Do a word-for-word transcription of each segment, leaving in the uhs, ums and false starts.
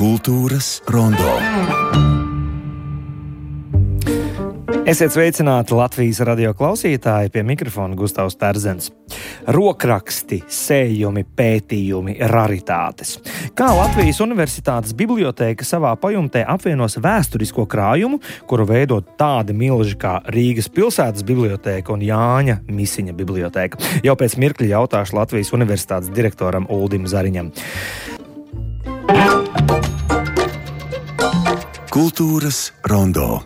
Kultūras rondo. Esiet sveicināti Latvijas radio klausītāji, pie mikrofona Gustavs Terzens. Rokraksti, sējumi, pētījumi, raritātes. Kā Latvijas Universitātes bibliotēka savā pajumtē apvienos vēsturisko krājumu, kuru veido tādi milži kā Rīgas pilsētas bibliotēka un Jāņa Misiņa bibliotēka? Jau pēc mirkļa jautāšu Latvijas Universitātes direktoram Uldim Zariņam. Kultūras rondo.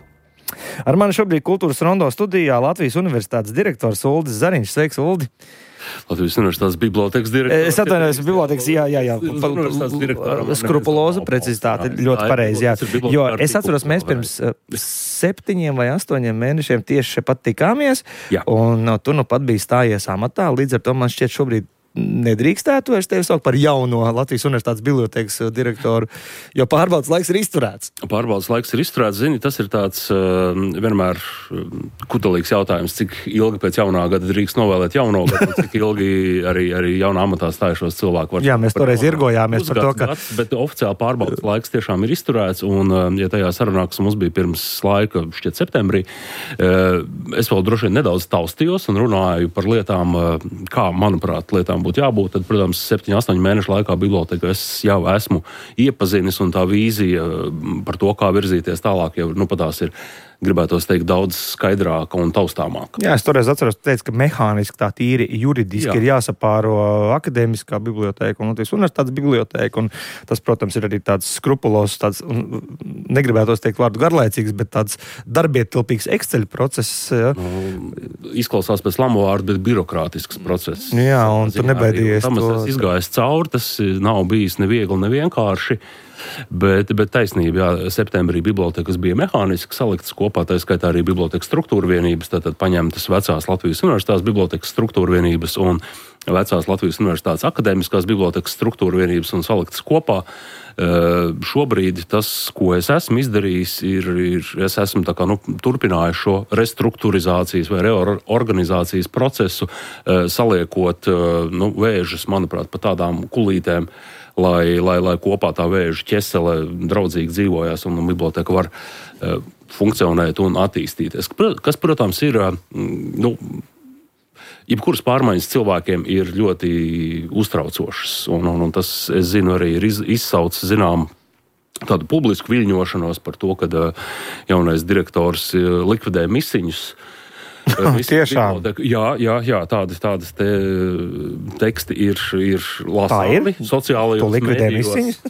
Ar mani šobrīd Kultūras rondo studijā Latvijas Universitātes direktors Uldis Zariņš. Sveiks, Uldi! Latvijas Universitātes bibliotēkas direktors. Es atvainojos, bibliotēkas, jā, jā, jā. Skrupuloza precizitāte, ļoti pareizi, jā. Jo es atceros, mēs pirms septiņiem vai astoņiem mēnešiem tieši šepat tikāmies, jā. Un tu nu pat biji stājies amatā, līdz ar to man šķiet šobrīd nedrīkstētu vairs tevi saukt par jauno Latvijas Universitātes bibliotēkas direktoru, jo pārbaudas laiks ir izturēts. Pārbaudas laiks ir izturēts, zini, tas ir tāds uh, vienmēr kutelīgs jautājums, cik ilgi pēc jaunā gada drīkst novēlēt jauno gadu, cik ilgi arī, arī jaunā amatā stājušos cilvēku var. Jā, mēs toreiz irgojāmies par to, ka... Gads, bet oficiāli pārbaudas laiks tiešām ir izturēts, un uh, ja tajā sarunā, kas mums bija pirms laika, šķiet septembrī, uh, es vēl droši vien nedaudz taustījos un runāju par lietām, uh, kā, manuprāt, lietām būtu jābūt, tad, protams, septiņu, astoņu mēnešu laikā biblioteka es jau esmu iepazinis, un tā vīzija par to, kā virzīties tālāk, jau, nu, patās ir, gribētos teikt, daudz skaidrāka un taustāmāka. Jā, es toreiz atceros, tu teici, ka mehāniski tā tīri juridiski Jā. ir jāsapāro akadēmiskā biblioteka un Latvijas Universitātes biblioteka, un tas, protams, ir arī tāds skrupulos, tāds, negribētos teikt vārdu garlaicīgs, bet tāds darbietilpīgs Excel process. Ja. Nu, izklausās pēc lamu vārdu, bet birokrātisks process. Jā, un tu nebaidījies to. Tam es izgājis cauri, tas nav bijis neviegli, nevienkārši. Bet, bet taisnība, jā, septembrī bibliotekas bija mehāniski saliktas kopā, tā skaitā arī bibliotekas struktūra vienības, tātad paņemtas vecās Latvijas Universitātes bibliotekas struktūra vienības un vecās Latvijas Universitātes akadēmiskās bibliotekas struktūra vienības un saliktas kopā. Uh, šobrīd tas, ko es esmu izdarījis, ir, ir es esmu tā kā, nu, turpinājis šo restruktūrizācijas vai reorganizācijas procesu, uh, saliekot uh, nu, vēžus, manuprāt, pa tādām kulītēm, lai, lai, lai kopā tā vēža ķesele draudzīgi dzīvojās un biblioteka var uh, funkcionēt un attīstīties. Kas, protams, ir, uh, nu, jebkuras pārmaiņas cilvēkiem ir ļoti uztraucošas, un, un, un tas, es zinu, arī ir iz, izsaucis, zinām, tādu publisku viļņošanos par to, ka uh, jaunais direktors uh, likvidē misiņus. Tiešām. Jā, jā, jā, tādas, tādas te teksti ir, ir lasāmi sociālajos mēdījos.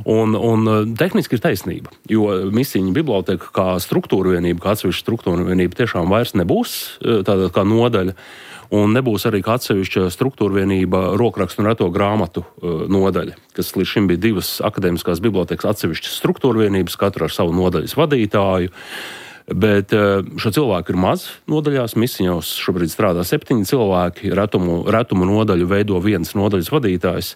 Un, un tehniski ir taisnība, jo Misiņa biblioteka kā struktūra vienība, kā atsevišķa struktūra vienība tiešām vairs nebūs tāda kā nodaļa. Un nebūs arī kā atsevišķa struktūra vienība rokrakstu un reto grāmatu uh, nodaļa, kas līdz šim bija divas akadēmiskās bibliotekas atsevišķas struktūra vienības, katra ar savu nodaļas vadītāju. Bet uh, šo cilvēku ir maz nodaļās, Misiņos šobrīd strādā septiņi cilvēki, retumu, retumu nodaļu veido viens nodaļas vadītājs.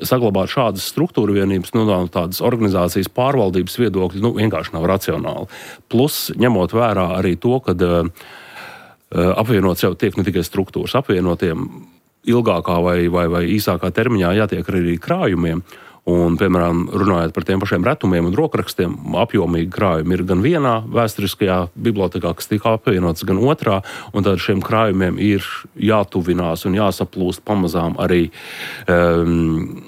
Saglabāt šādas struktūra vienības, nu, tādas organizācijas pārvaldības viedokļi, nu, vienkārši nav racionāli. Plus, ņemot vērā arī to, ka uh, apvienots jau tiek ne tikai struktūras, apvienotiem ilgākā vai, vai, vai īsākā termiņā jātiek arī krājumiem. Un, piemēram, runājot par tiem pašiem retumiem un rokrakstiem, apjomīgi krājumi ir gan vienā vēsturiskajā bibliotekā, kas tika apvienots, gan otrā, un tad šiem krājumiem ir jātuvinās un jāsaplūst pamazām arī um,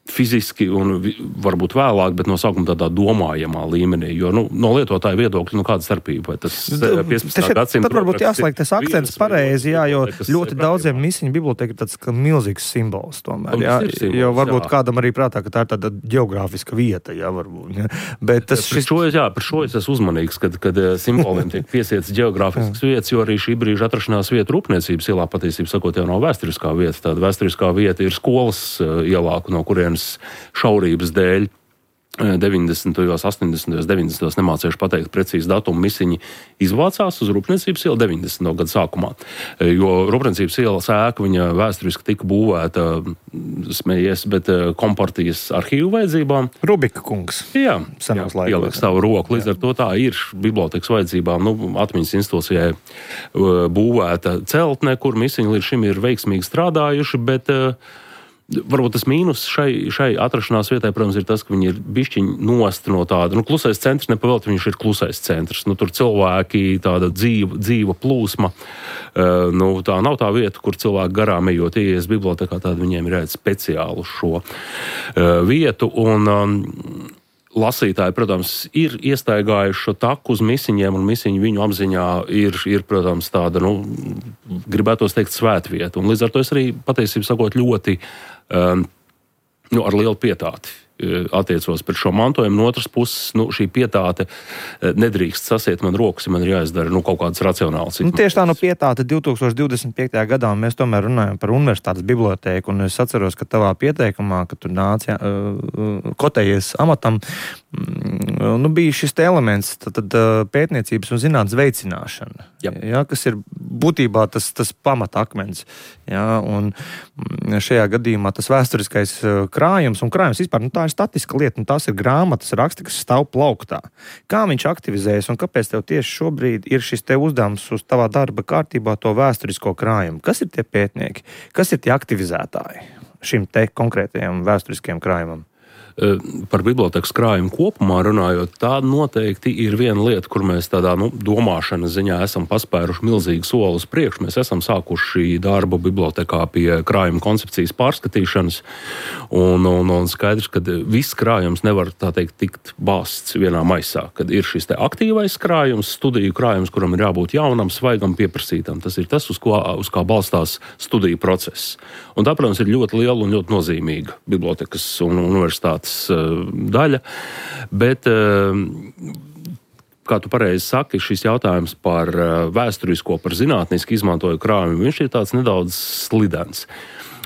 fiziski un varbūt vēlāk, bet no sākuma tādā domājamā līmenī, jo, nu, no lietotāja viedokļa, nu, kāda starpība, vai tas piecpadsmitā gadsimta... Tad varbūt jāslēg tas akcents pareizi, jā, jo ļoti daudziem Misiņu biblioteka ir tāds milzīgs simbols tomēr, jā, simbols, jo varbūt jā. Kādam arī prātā, ka tā ir tāda geogrāfiska vieta, jā, varbūt, jā. Bet tas šis... Šo, jā, par šo es esmu uzmanīgs, kad, kad simboliem tiek piesiets geogrāfiskas vietas, jo arī šī brīža atrašanās vieta Rūpniecības ielā, patiesībā sakot, jau nav vēsturiskā vieta, tāda vēsturiskā vieta ir skolas ielā, no kurienes šaurības dēļ deviņdesmitajos, astoņdesmitajos, deviņdesmitajos nemācījuši pateikt precīzi datumu Misiņi izvācās uz Rūpniecības ielu deviņdesmito gadu sākumā. Jo Rūpniecības ielas ēka, viņa vēsturiski tika būvēta, smējies, bet kompartijas arhīvu vajadzībām. Rubika kungs. Jā, senos jā ieliek savu roku. Līdz ar to tā ir bibliotekas vajadzībām, nu, atmiņas institūcijai būvēta celtne, kur Misiņi līdz šim ir veiksmīgi strādājuši, bet Varbūt tas mīnus šai, šai atrašanās vietai, protams, ir tas, ka viņi ir bišķiņi nosti no tāda. Nu, klusais centrs nepavēlti, viņš ir klusais centrs. Nu, tur cilvēki, tāda dzīva, dzīva plūsma. Uh, nu, tā nav tā vieta, kur cilvēki garām ejot ieies bibliotekā, tāda viņiem ir jāiet speciāli uz šo uh, vietu. Un um, lasītāji, protams, ir iestaigājuši šo taku uz misiņiem, un misiņi viņu apziņā ir, ir protams, tāda, nu, gribētos teikt, svētvieta. Un līdz ar to es arī, patiesībā sakot, ļoti um, nu, ar lielu pietāti attiecos pret šo mantojumu. No otras puses, nu, šī pietāte nedrīkst sasiet man rokas, ja man ir jāizdara nu, kaut kādas racionālas. Nu, tieši tā no pietāte divtūkstoš divdesmit piektajā gadā, un mēs tomēr runājam par universitātes bibliotēku, un es atceros, ka tavā pieteikumā, kad tu nāc, jā, kotējies amatam, nu, bija šis te elements, tad, tad pētniecības un zinātnes veicināšana, jā, kas ir būtībā tas, tas pamatakmens. Jā, un šajā gadījumā tas vēsturiskais krājums, un krājums vispār, nu, tā ir statiska lieta, un tās ir grāmatas, raksti, kas stāv plauktā. Kā viņš aktivizējas, un kāpēc tev tieši šobrīd ir šis te uzdevums uz tavā darba kārtībā to vēsturisko krājumu? Kas ir tie pētnieki? Kas ir tie aktivizētāji šim te konkrētajam vēsturiskajam krājumam? Par bibliotekas krājumu kopumā runājot, tā noteikti ir viena lieta, kur mēs tādā nu, domāšanas ziņā esam paspēruši milzīgu soli uz priekšu. Mēs esam sākuši darbu bibliotekā pie krājuma koncepcijas pārskatīšanas, un, un, un skaidrs, ka viss krājums nevar, tā teikt, tikt bāsts vienā maisā. Kad ir šis te aktīvais krājums, studiju krājums, kuram ir jābūt jaunam, svaigam, pieprasītam. Tas ir tas, uz, ko, uz kā balstās studiju process. Un tā, protams, ir ļoti liela un ļoti nozīmīga bibliotekas un universitātes daļa, bet, kā tu pareizi saki, šis jautājums par vēsturisko, par zinātniski izmantoju krājumu, viņš ir tāds nedaudz slidens.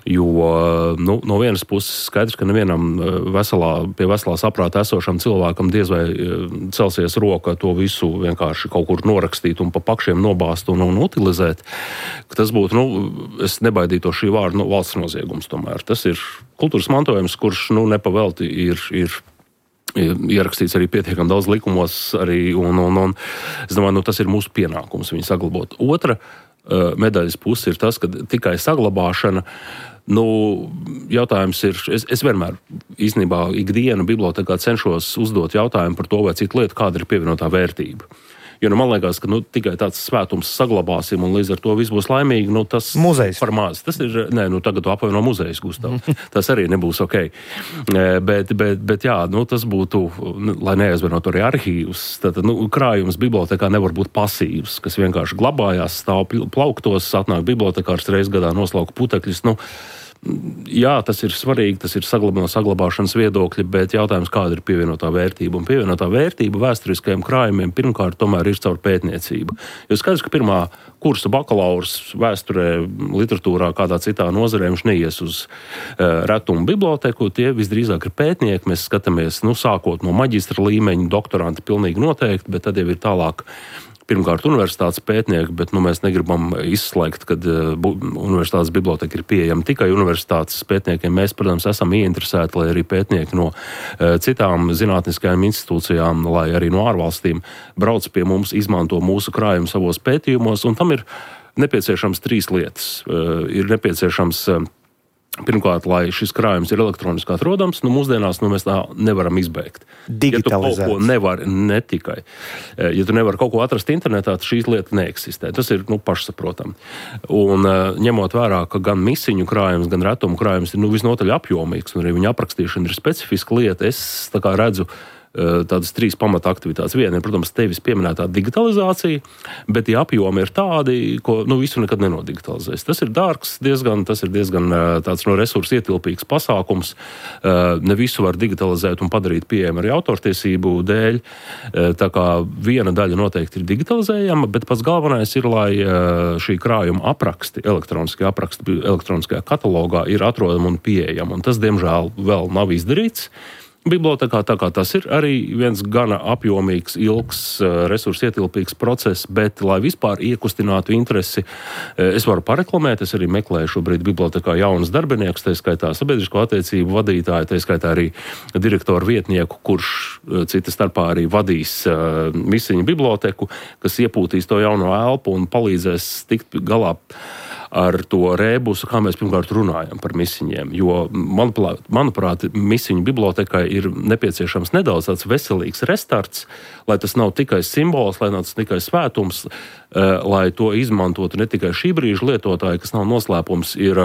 Jo nu, no vienas puses skaidrs, ka nevienam veselā, pie veselā saprāta esošam cilvēkam diez vai celsies roka to visu vienkārši kaut kur norakstīt un pa pakšiem nobāzt un, un utilizēt. Tas būtu, nu, es nebaidītu šī vārda, nu, valsts noziegums tomēr. Tas ir kultūras mantojums, kurš, nu, nepavelti ir, ir ierakstīts arī pietiekami daudz likumos, arī, un, un, un es domāju, nu, tas ir mūsu pienākums viņu saglabāt. Otra medaļas puse ir tas, ka tikai saglabāšana, nu, jautājums ir, es, es vienmēr īstenībā ikdienu bibliotekā cenšos uzdot jautājumu par to, vai citu lietu, kāda ir pievienotā vērtība. Jo nu, man liekas, ka nu, tikai tāds svētums saglabāsim un līdz ar to viss būs laimīgi. Nu, tas muzejs. Par maz. Tas ir, nē, nu tagad tu apvaino muzejs, Gustav. Tas arī nebūs ok. Bet, bet, bet jā, nu, tas būtu, lai neaizvainot arī arhīvus, tad nu, krājums bibliotekā nevar būt pasīvs, kas vienkārši glabājās, stāv plauktos, atnāk bibliotekārs reiz gadā noslauka putekļus. Nu, jā, tas ir svarīgi, tas ir saglabā, no saglabāšanas viedokļa, bet jautājums, kāda ir pievienotā vērtība. Un pievienotā vērtība vēsturiskajiem krājumiem pirmkārt tomēr ir caur pētniecību. Jo skaidrs, ka pirmā kursa bakalaurs vēsturē, literatūrā, kādā citā nozarē viņš neies uz uh, retumu biblioteku, tie visdrīzāk ir pētnieki. Mēs skatāmies, nu, sākot no maģistra līmeņa, doktoranti pilnīgi noteikti, bet tad jau ir tālāk pirmkārt universitātes pētnieki, bet nu, mēs negribam izslēgt, kad uh, universitātes biblioteka ir pieejama tikai universitātes pētniekiem. Mēs, protams, esam ieinteresēti, lai arī pētnieki no uh, citām zinātniskajām institūcijām, lai arī no ārvalstīm brauc pie mums, izmanto mūsu krājumu savos pētījumos, un tam ir nepieciešams trīs lietas. Uh, ir nepieciešams uh, Pirmkārt, lai šis krājums ir elektroniski atrodams, nu mūsdienās nu, mēs tā nevaram izbeigt. Ja tu kaut ko nevari, ne tikai. Ja tu nevari kaut ko atrast internetā, tad šīs lietas neeksistē. Tas ir nu, pašsaprotami. Un ņemot vērā, ka gan misiņu krājums, gan retumu krājums ir nu, visnotaļ apjomīgs, un arī viņa aprakstīšana ir specifiska lieta, es tā kā redzu tādas trīs pamata aktivitātes. Viena ir, protams, tevis pieminētā digitalizācija, bet tie apjomi ir tādi, ko nu, visu nekad nenodigitalizēs. Tas ir dārgs diezgan, tas ir diezgan tāds no resursu ietilpīgs pasākums. Ne visu var digitalizēt un padarīt pieejamu arī autortiesību dēļ. Tā kā viena daļa noteikti ir digitalizējama, bet pats galvenais ir, lai šī krājuma apraksti, elektroniskie apraksti elektroniskajā katalogā ir atrodami un pieejami. Un tas, diemžēl, vēl nav izdarīts. Bibliotekā, tā kā tas ir arī viens gana apjomīgs, ilgs, resursu ietilpīgs process, bet, lai vispār iekustinātu interesi, es varu pareklamēt, es arī meklēju šobrīd bibliotekā jaunas darbiniekus, tā skaitā sabiedrisko attiecību vadītāju, tā skaitā arī direktoru vietnieku, kurš cita starpā arī vadīs uh, misiņu biblioteku, kas iepūtīs to jauno elpu un palīdzēs tikt galā ar to rēbusu, kā mēs pirmkārt runājam par misiņiem. Jo, manuprāt, manuprāt misiņu bibliotekai ir nepieciešams nedaudz tāds veselīgs restarts, lai tas nav tikai simbols, lai nav tas tikai svētums, lai to izmantotu ne tikai šī brīža lietotāji, kas nav noslēpums, ir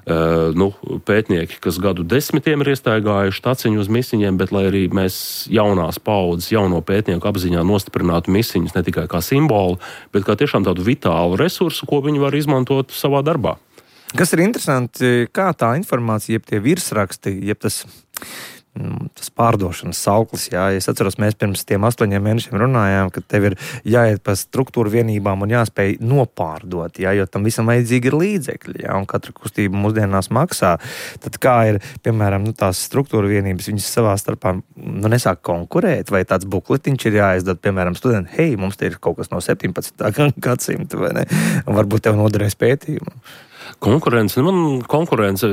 Uh, nu, pētnieki, kas gadu desmitiem ir iestaigājuši taciņu uz misiņiem, bet lai arī mēs jaunās paudzes, jauno pētnieku apziņā nostiprinātu misiņus ne tikai kā simbolu, bet kā tiešām tādu vitālu resursu, ko viņi var izmantot savā darbā. Kas ir interesanti, kā tā informācija, jeb tie virsraksti, jeb tas... tas pārdošanas sauklis, jā. Es atceros, mēs pirms tiem astoņiem mēnešiem runājām, ka tev ir jāiet pa struktūru vienībām un jāspēj nopārdot, jā, jo tam visam vajadzīgi ir līdzekļi, jā, un katra kustība mūsdienās maksā. Tad kā ir, piemēram, nu, tās struktūra vienības, viņas savā starpā, nu, nesāk konkurēt, vai tāds bukletiņš ir jāizdod, piemēram, studenti, hei, mums te ir kaut kas no septiņpadsmitā gadsimta, vai ne? Un varbūt tev noderēs pētījumu. Konkurence, man konkurence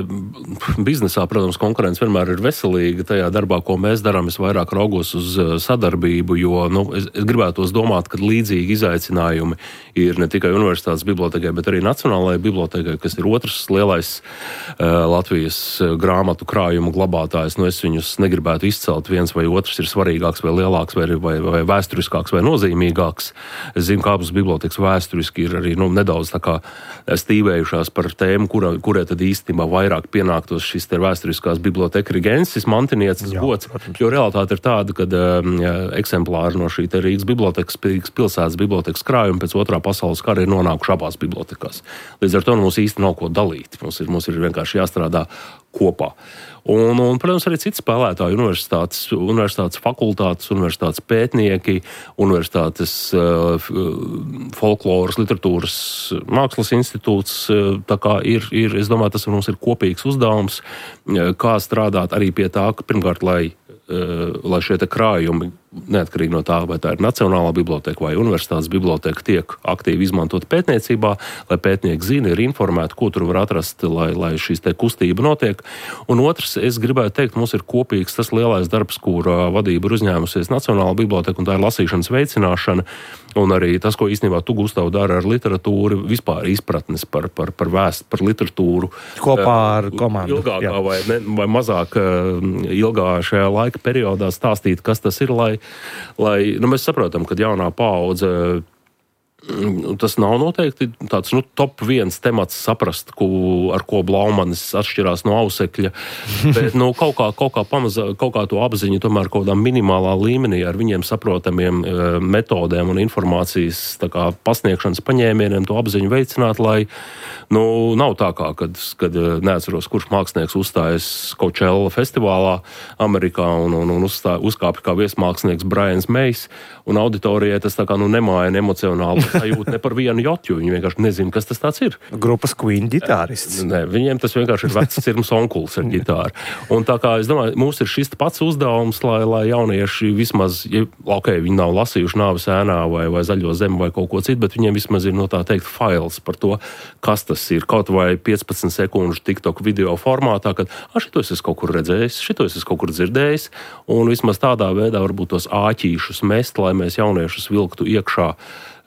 biznesā, protams, konkurence vienmēr ir veselīga tajā darbā, ko mēs darām. Es vairāk raugos uz sadarbību, jo nu, es, es gribētos domāt, ka līdzīgi izaicinājumi ir ne tikai universitātes bibliotekai, bet arī Nacionālajai bibliotekai, kas ir otrs lielais uh, Latvijas grāmatu krājumu glabātājs. Nu, es viņus negribētu izcelt, viens vai otrs ir svarīgāks vai lielāks vai, vai, vai vēsturiskāks vai nozīmīgāks. Es zinu, ka abas bibliotekas vēsturiski ir arī nu, nedaudz tā kā stīvējušās par tēmu, kurā, kurē tad īstenībā vairāk pienāktos šis te vēsturiskās biblioteka rigensis, mantinieces gods, jo realitāte ir tāda, ka um, eksemplāri no šī te Rīgas bibliotekas, Rīgas pilsētas bibliotekas krājuma pēc otrā pasaules kara ir nonākuši abās bibliotekās. Līdz ar to mums īsti nav ko dalīt. Mums ir, mums ir vienkārši jāstrādā kopā. Un, un, protams, arī citi spēlētāji, universitātes, universitātes fakultātes, universitātes pētnieki, universitātes uh, folkloras, literatūras mākslas institūts. Tā kā ir, ir, es domāju, tas mums ir kopīgs uzdevums, kā strādāt arī pie tā, ka pirmkārt, lai, uh, lai šie te krājumi, neatkarīgi no tā, vai tā ir Nacionālā biblioteka vai universitātes biblioteka, tiek aktīvi izmantot pētniecībā, lai pētnieki zina, ir informēti, ko tur var atrast, lai, lai šīs te kustība notiek. Un otrs, es gribētu teikt, mums ir kopīgs tas lielais darbs, kur vadība ir uzņēmusies Nacionālā biblioteka, un tā ir lasīšanas veicināšana, un arī tas, ko īstenībā tu, Gustav, dara ar literatūru, vispār izpratnes par, par, par vēst, par literatūru. Kopā ar komandu. Ilgākā vai, ne, vai mazāk ilgā šajā laika periodā stāstīt, kas tas ir, lai lai, nu, mēs saprotam, ka jaunā paudze, tas nav noteikti tāds, nu, top viens temats saprast, ko, ar ko Blaumanis atšķirās no Ausekļa, bet, nu, kaut kā, kaut kā pamazā, kaut kā to apziņu tomēr kaut kādā minimālā līmenī ar viņiem saprotamiem e, metodēm un informācijas tā kā pasniegšanas paņēmieniem to apziņu veicināt, lai, nu, nav tā kā, kad, kad neatceros, kurš mākslinieks uzstājas Coachella festivālā Amerikā un, un, un uzstā, uzkāpja kā viesmākslinieks Brians Mays, un auditorijai tas tā kā, nu, nemaina emocionāli sajūta ne par vienu jotu, viņi vienkārši nezina, kas tas tāds ir. Grupas Queen ģitārists. Nē, viņiem tas vienkārši ir vecs cirms onkuls ar ģitāru. Un tā kā, es domāju, mums ir šis pats uzdevums, lai, lai jaunieši vismaz, ja, ok, viņi nav lasījuši Nāves ēnā vai, vai Zaļo zemi vai kaut ko citu, bet viņiem vismaz ir, no tā teikt, fails par to, kas tas ir. Kaut vai piecpadsmit sekundžu TikTok video formātā, kad, ah, šito es esmu kaut kur redzējis, šito es esmu kaut kur dzirdējis, un vismaz tādā veidā varbūt tos āķīšus mest, lai mēs jauniešus vilktu iekšā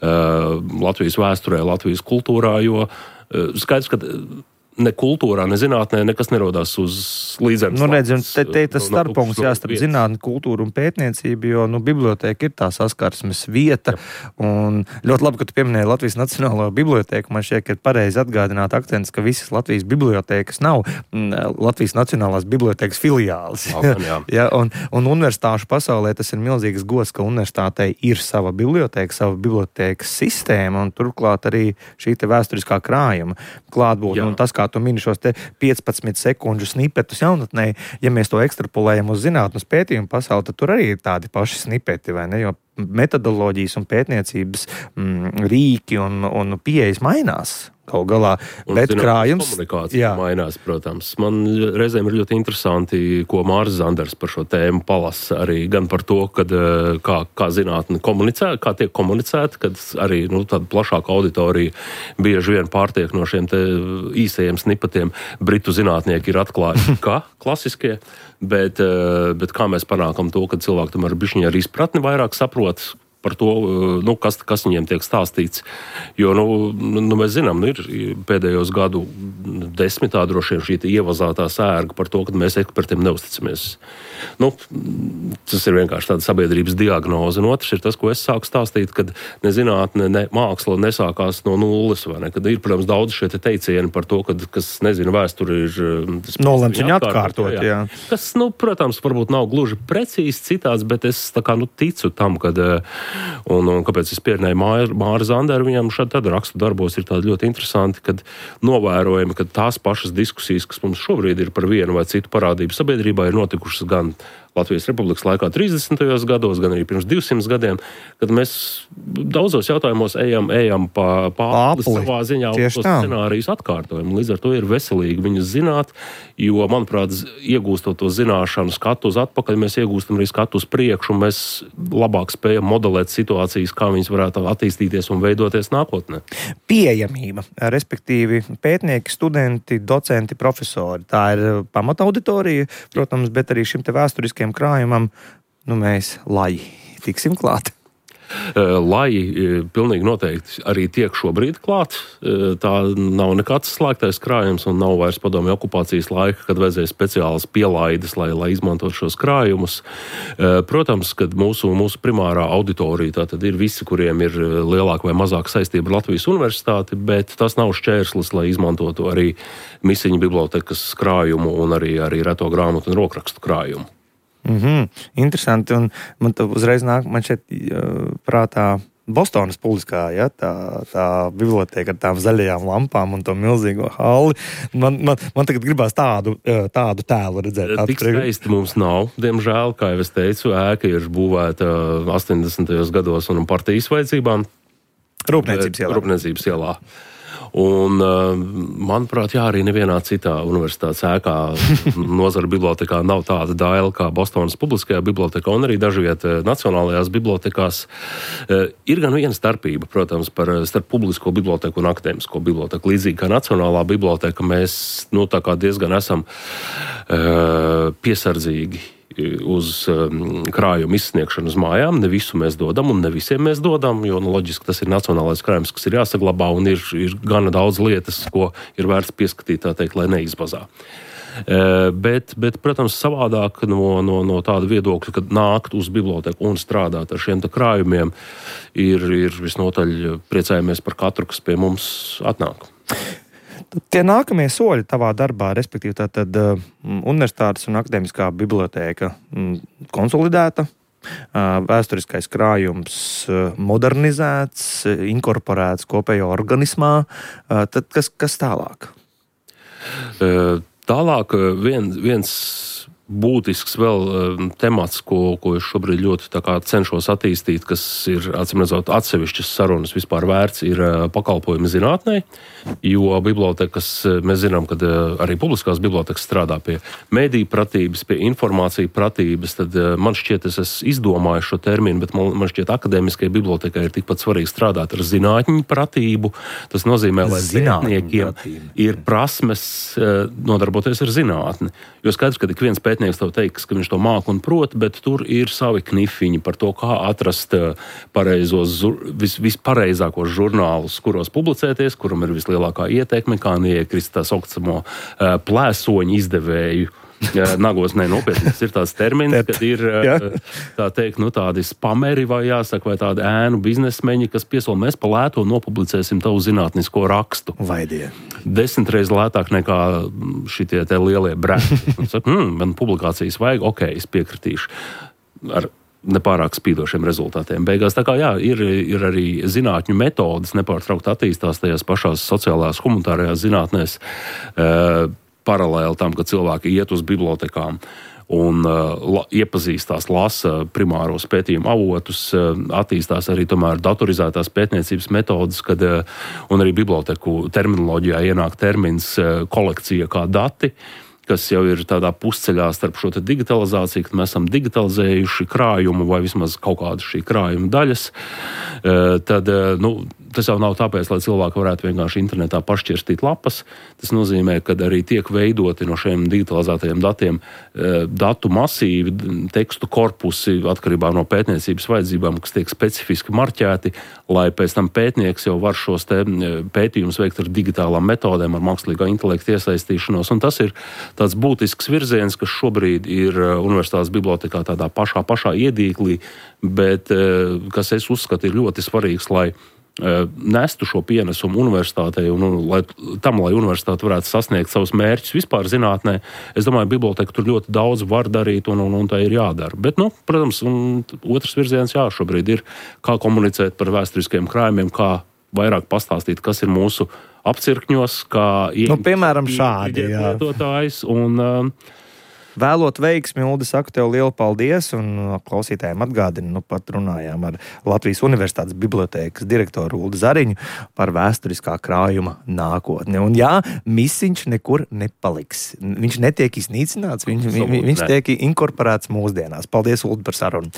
Latvijas vēsturē, Latvijas kultūrā, jo skaidrs, ka ne kultūrā, ne zinātnē nekas nerodās uz līdzemes. Nu, redz, te, te tas no, starppunkts no, jāstarp zinātni, kultūru un pētniecību, jo, nu, biblioteka ir tā saskarsmes vieta, jā. Un ļoti labi, ka tu pieminēji Latvijas Nacionālo biblioteku, man šķiet, ka ir pareizi atgādināt akcents, ka visas Latvijas bibliotekas nav Latvijas Nacionālās bibliotekas filiālis. Jā, jā. Ja, un, un universitāšu pasaulē tas ir milzīgs gods, ka universitātei ir sava biblioteka, sava bibliotekas sistēma, un turklāt arī šī te vēsturiskā krājuma klātbūt, un tas, kā tu mini šos te piecpadsmit sekundžu snipetus jaunatnē, ja mēs to ekstrapolējam uz zinātnes pētījumu pasauli, tad tur arī ir tādi paši snipeti, vai ne? Jo metodoloģijas un pētniecības mm, rīki un, un pieejas mainās kaut galā, un, bet zināt, krājums... Komunikācija jā. Mainās, protams. Man reizēm ir ļoti interesanti, ko Māris Zanders par šo tēmu palasa arī gan par to, kad, kā, kā zinātne komunicē, kā tiek komunicēta, kad arī nu, tāda plašāka auditorija bieži vien pārtiek no šiem te īsajiem snipatiem. Britu zinātnieki ir atklājuši, kā klasiskie, bet, bet kā mēs panākam to, ka cilvēki tomēr bišķiņi ar izpratni vairāk saprot, par to, nu, kas, kas viņiem tiek stāstīts. Jo, nu, nu mēs zinām, nu, ir pēdējos gadu desmitā droši vien šī ievazātā sērga par to, ka mēs ekspertiem neusticamies. Nu, tas ir vienkārši tāda sabiedrības diagnoze. Un otrs ir tas, ko es sāku stāstīt, kad ne zinātne, ne māksla nesākās no nulles, vai ne? Kad ir, protams, daudz šie te teicieni par to, kad, kas, nezinu, vēsturi ir... Nolemts viņu atkārtot, jā. jā. Kas, nu, protams, varbūt nav gluži precīzi citāds, bet es tā kā, nu, ticu tam, kad, un, un kāpēc es pierunēju Māri, Māri Zanderu, viņam šādi tad rakstu darbos ir tādi ļoti interesanti, kad novērojami, kad tās pašas diskusijas, kas mums šobrīd ir par vienu vai citu parādību sabiedrībā, ir notikušas gan Latvijas Republikas laikā trīsdesmitajos gados, gan arī pirms divsimt gadiem, kad mēs daudzos jautājumos ejam, ejam pa pāpli savā ziņā un tos scenārijus atkārtojam. Līdz ar to ir veselīgi viņus zināt, jo, manuprāt, iegūstot to zināšanu skatu uz atpakaļ, mēs iegūstam arī skatu uz priekšu, un mēs labāk spējam modelēt situācijas, kā viņas varētu attīstīties un veidoties nākotnē. Pieejamība, respektīvi pētnieki, studenti, docenti, profesori. Tā ir pamata auditorija, protams, bet arī šim te vēsturiskiem krājumam, nu mēs lai tiksim klāt. Lai pilnīgi noteikti arī tiek šobrīd klāt. Tā nav nekāds slēgtais krājums un nav vairs padomju okupācijas laika, kad vajadzēja speciālas pielaides, lai, lai izmantot šos krājumus. Protams, kad mūsu, mūsu primārā auditorija tātad ir visi, kuriem ir lielāka vai mazāka saistība ar Latvijas universitāti, bet tas nav šķērslis, lai izmantotu arī Misiņu bibliotekas krājumu un arī, arī reto grāmatu un rokrakstu krājumu. Mm-hmm. Interesanti, un man tā uzreiz nāk, man šeit prātā Bostonas publiskā, ja, tā, tā biblioteka ar tām zaļajām lampām un to milzīgo halli. Man, man, man tagad gribās tādu, tādu tēlu redzēt. Tik skaisti mums nav, diemžēl, kā jau es teicu, ēka ir būvēta astoņdesmitajos gados un partijas vajadzībām. Rūpniecības ielā. Rūpniecības ielā. Un, manuprāt, jā, arī nevienā citā universitātes ēkā nozara bibliotekā nav tāda daila kā Bostonas publiskajā bibliotekā un arī dažviet nacionālajās bibliotekās. Ir gan viena starpība, protams, par starp publisko biblioteku un akadēmisko biblioteku. Līdzīgi kā nacionālā biblioteka, mēs, nu, tā kā diezgan esam uh, piesardzīgi uz um, krājumu izsniegšanu uz mājām. Ne visu mēs dodam un ne visiem mēs dodam, jo, nu, loģiski tas ir nacionālais krājums, kas ir jāsaglabā un ir, ir gana daudz lietas, ko ir vērts pieskatīt, tā teikt, lai neizbazā. Uh, bet, bet, protams, savādāk no, no, no tāda viedokļa, kad nākt uz biblioteku un strādāt ar šiem tā krājumiem, ir, ir visnotaļ priecājamies par katru, kas pie mums atnāk. Tie nākamie soļi tavā darbā, respektīvi tātad uh, universitātes un akadēmiskā bibliotēka um, konsolidēta, uh, vēsturiskais krājums uh, modernizēts, uh, inkorporēts kopējā organismā. Uh, tad kas, kas tālāk? Uh, tālāk vien, viens būtisks vēl um, temats, ko, ko es šobrīd ļoti tā kā cenšos attīstīt, kas ir, acīm redzot, atsevišķas sarunas vispār vērts, ir uh, pakalpojumi zinātnē, jo bibliotekas, mēs zinām, ka uh, arī publiskās bibliotekas strādā pie mediju pratības, pie informāciju pratības, tad uh, man šķiet, es esmu izdomājis šo terminu, bet man, man šķiet, akadēmiskajai bibliotekai ir tikpat svarīgi strādāt ar zinātņu pratību. Tas nozīmē, lai zinātniekiem ir prasmes uh, nodarboties ar zinātni. Jo skaidrs, ka ik viens pētnieks tev teiks, ka viņš to māk un prot, bet tur ir savi knifiņi par to, kā atrast pareizos, vis, vispareizākos žurnālus, kuros publicēties, kuram ir vislielākā ieteikme, kā neiekrist tā saucamo plēsoņu izdevēju. Nagos, ne, nopietni, tas ir tāds termins, kad ir, tā teikt, nu, tādi spameri vai jāsaka, vai tādi ēnu biznesmeņi, kas piesola, mēs pa lēto nopublicēsim tavu zinātnisko rakstu. Vaidie. Desmit reiz lētāk nekā šitie te lielie brendi. Un saka, hm, man publikācijas vajag, ok, es piekritīšu. Ar nepārāk spīdošiem rezultātiem. Beigās tā kā jā, ir, ir arī zinātņu metodas nepārtraukt attīstās tajās pašās sociālās, humanitārajās zinātnēs, uh, paralēli tam, ka cilvēki iet uz bibliotekām un uh, la, iepazīstās, lasa primāros pētījumu avotus, uh, attīstās arī tomēr datorizētās pētniecības metodas, kad, uh, un arī biblioteku terminoloģijā ienāk termins uh, kolekcija kā dati, kas jau ir tādā pusceļā starp šo te digitalizāciju, kad mēs esam digitalizējuši krājumu vai vismaz kaut kādu šī krājuma daļas, uh, tad, uh, nu, tas jau nav tāpēc, lai cilvēki varētu vienkārši internetā pašķirstīt lapas. Tas nozīmē, ka arī tiek veidoti no šiem digitalizētajiem datiem datu masīvi, tekstu korpusi atkarībā no pētniecības vajadzībām, kas tiek specifiski marķēti, lai pēc tam pētnieks jau var šos te pētījumus veikt ar digitālām metodēm, ar mākslīgā intelekta iesaistīšanos. Un tas ir tāds būtisks virziens, kas šobrīd ir universitātes bibliotekā tādā pašā, pašā iedīklī, bet kas es uzskatu ir ļoti svarīgs, lai nestu šo pienesumu universitātei un, un lai, tam, lai universitāte varētu sasniegt savus mērķus vispār zinātnē. Es domāju, biblioteka tur ļoti daudz var darīt un, un, un tā ir jādara. Bet, nu, protams, un otrs virziens, jā, šobrīd ir, kā komunicēt par vēsturiskiem krājumiem, kā vairāk pastāstīt, kas ir mūsu apcirkņos, kā nu, piemēram, šādi, jā. Lietotājs un vēlot veiksmi, Uldi, saku tev lielu paldies, un klausītājiem atgādinu, nu pat runājām ar Latvijas Universitātes bibliotēkas direktoru Uldi Zariņu par vēsturiskā krājuma nākotni. Un jā, misiņš nekur nepaliks. Viņš netiek iznīcināts, viņš, vi, viņš tiek inkorporēts mūsdienās. Paldies, Uldi, par sarunu.